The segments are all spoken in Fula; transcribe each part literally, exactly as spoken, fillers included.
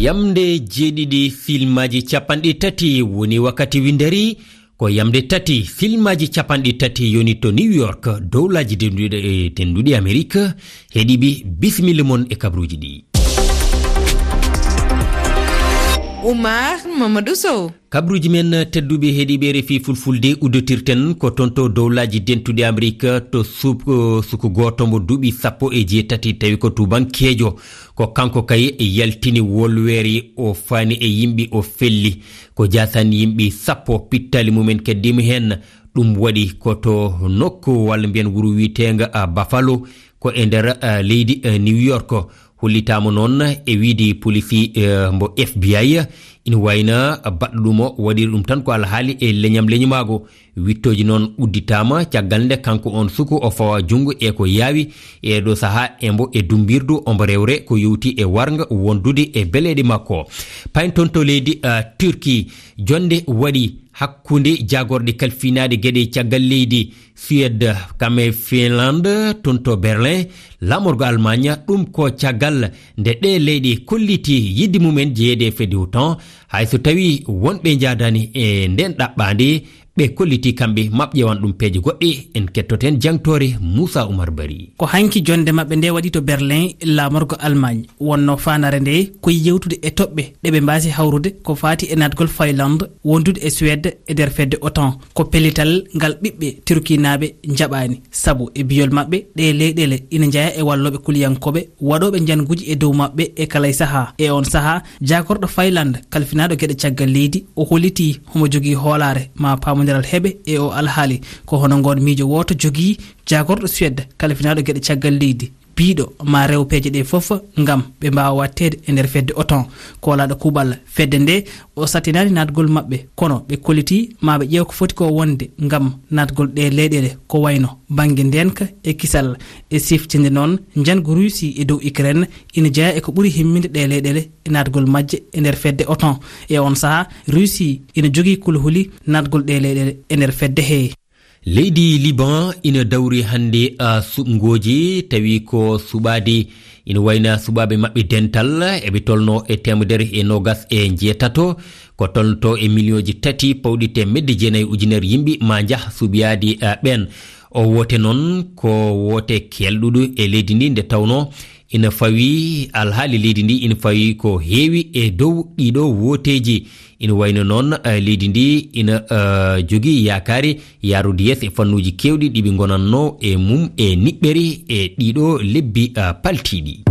Yamde jeeɗiɗi filmaaji capanɗe tati woni wakkati winderi. Ko yamde tati filmaaji capanɗe tati yoni to New York, dowlaaji denduɗe, denduɗi Amerik. Heɗiɓe, bisimilla mon e kabruuji ɗi. Oumar Mamadou Sow. Kabruuji men tedduɓe heɗiɓe R F I Fulfulde, udditirten ko toon to dowlaaji dentuɗi Amerik, to suk-, suku gooto mo duuɓi sappo e jeetati, tawi ko tubankeejo. Ko kanko kay yaltini wolweeri, o faani e yimɓe, o felli. Ko jaasan yimɓe sappo pittali mumen keddima heen. Ɗum waɗi ko to nokku walla mbiyen wuro wiyeteengo, a, Buffalo, ko e nder, a, leydi, a, New York. Hollitaama noon e wiyde polisi, a, mbo F B I, ina wayno baɗɗo ɗum o waɗiri ɗum tan ko alhaali e leñam leñumaago. Wittooji noon udditaama caggal nde kanko on suku o fawa junngo e ko yaawi e ɗo sahaa e mbo e dumbirdu ombo rewre ko yowti e warnga wondude e beleeɗe makko. Payen toon to leydi, a, Turki, jonnde waɗi hakkunde jaagorɗe kalfinaaɗe geɗe caggal leydi Suède kam e Finlande toon to Berlin, laamorgo Allemagne. Ɗum ko caggal nde ɗe leyɗe kolliti yiɗde mumen jeyeede e fedde OTAN, hay so tawi wonɓe njaadani e nden ɗaɓɓaande, ɓe kolliti kamɓe maɓɓe ƴeewan ɗum peeje goɗɗe. En kettoten jangtoore Moussa Oumar Bari. Ko hanki jonde maɓɓe nde waɗi to Berlin, laamorgo Allemagne. Wonno faandaare nde ko yewtude e toɓɓe ɗe ɓe mbaasi hawrude ko faati e naatgol Finlande wondude e Suède e nder fedde OTAN. Ko pellital ngal ɓiɓɓe Turkinaaɓe njaɓaani, sabu e biyol maɓɓe ɗe leyɗeele ina njaya e wallooɓe kuliyankooɓe waɗooɓe njanguuji e dow maɓɓe e kala e sahaa. E on sahaa, jaagorɗo Finlande kalfinaaɗo geɗe caggal leydi, o holliti homo jogii hoolaare ma paamondiral heɓe e o alhaali. Ko hono ngoon miijo wooto jogii jaagorɗo Suède kalfinaaɗo geɗe caggal leydi, biiɗo ma rew peeje ɗe fof ngam ɓe mbaawa waɗteede e nder fedde OTAN. Koolaaɗo kuuɓal fedde nde, o sattinaani naatgol maɓɓe, kono ɓe kolliti ma ɓe ƴeew ko foti ko wonde ngam naatgol ɗe leyɗeele, ko wayno bannge ndeenka e kisal. E siftinde noon, njanngu Russie e dow Ukraine ina jeyaa e ko ɓuri himminde ɗe leyɗeele e naatgol majje e nder fedde OTAN. E on sahaa, Russie ina jogii kulhuli naatgol ɗe leyɗeele e nder fedde he. Leydi Liban ina dawri hannde, a, suɓngooji, tawi ko suɓaade ina wayna suɓaaɓe maɓɓe dental, eɓe tolno e teemedere e noogas e njeetato, ko tolnto e miliyonji tati pawɗi teemedde jeenayi ujunere yimɓe ma njah suɓiyaade, a, ɓeen. O woote noon ko woote kelɗuɗo e leydi ndi, nde tawno ina fawi alhaali leydi ndi, ina fawi ko heewi e dow ɗiɗo wooteeji. Ina wayno noon, eh, leydi ndi ina, eh, jogii yaakaari yaarude yeeso e fannuuji keewɗi ɗi ɓe ngonatno e mum e niɓɓere e ɗiɗo lebbi, eh, paltiiɗi.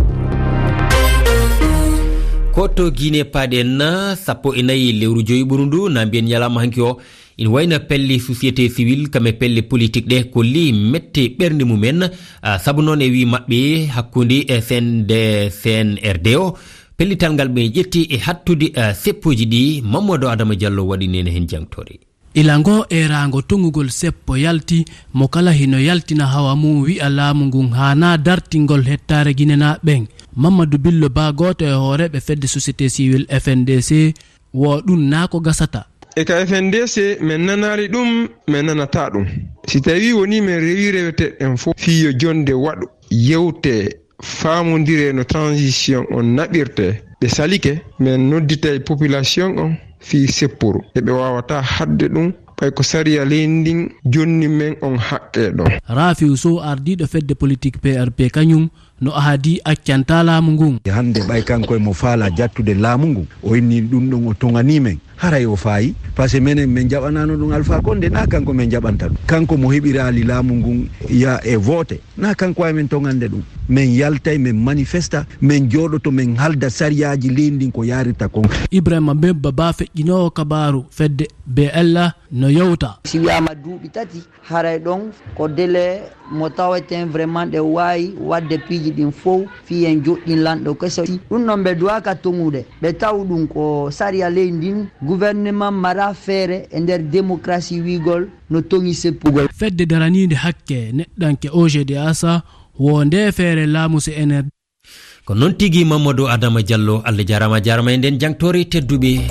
Ko to Guinée paaɗen, sappo e nayi lewru joyi ɓuru ndu, na mbiyen ñalawma hanki o, ina wayno pelle société civile, kam e pelle politique ɗe kolli mette ɓernde mumen, ah, sabu noon e wii maɓɓe hakkunde, eh, C N D, C N R D o, pellital ngal ɓe ƴetti e hattude, eh, seppuuji ɗi. Mamadou Adama Diallo waɗi nene heen jangtore. Ila ngo eeraango toŋugol seppo yalti, mo kala hino yaltina hawa mum wi'a laamu ngun haanaa dartingol hettaare Ginenaaɓe ɓen. Mamadou Billo Ba, gooto e hooreeɓe fedde société civile F N D C, wo ɗum naa ko gasata. E ka F N D C, men nanaali ɗum, men nanataa ɗum. Si tawii wonii men rewii reweteeɗo ɗen fof, fii yo jonde waɗu, yewtee, faamondiree no transition on naɓirtee, ɓe salike, men nodditay population on fii seppuru. E ɓe waawataa haɗde ɗum, ɓay ko sariya leydi ndin jonni men on haqqee ɗon. Rafiu Sow, ardiiɗo fedde politique P R P, kañum no ahadi accantaa laamu ngun. Hannde ɓay kanko e mo faalaa jattude laamu ngun, o inni ɗum ɗon o toŋanii men. Haray o faayi, parce que menen men jaɓanaano ɗum Alpha Condé, naa kanko men jaɓanta ɗum. Kanko mo heɓiraali laamu ngun ya e vote, naa kanko ay men toŋande ɗum. Men yaltay, men manifesta, men jooɗoto, men halda sariyaaji leydi ndin ko yaarirta kon. Ibrahima Bemba Ba, feƴƴinoowo kabaaru fedde B L A, no yewta. Si wiyaama duuɓi tati, haray ɗon ko délai mo taweten vraiment ɗe waawi waɗde piiji ɗin fow fii en joɗɗin lanɗo keso. Ɗum ɗon ɓe duwaaka toŋude. Ɓe taw ɗum ko sariya leydi ndin, gouvernement mara feere e nder démocratie wiigol no toŋi seppugol. Fedde daraniinde hakke neɗɗanke O G D A S wo nde feere laamu C N R D. Ko noon tigi, Mamadou Adama Diallo, Allah jaaraama, jaaraama e nden jangtoore tedduɓe.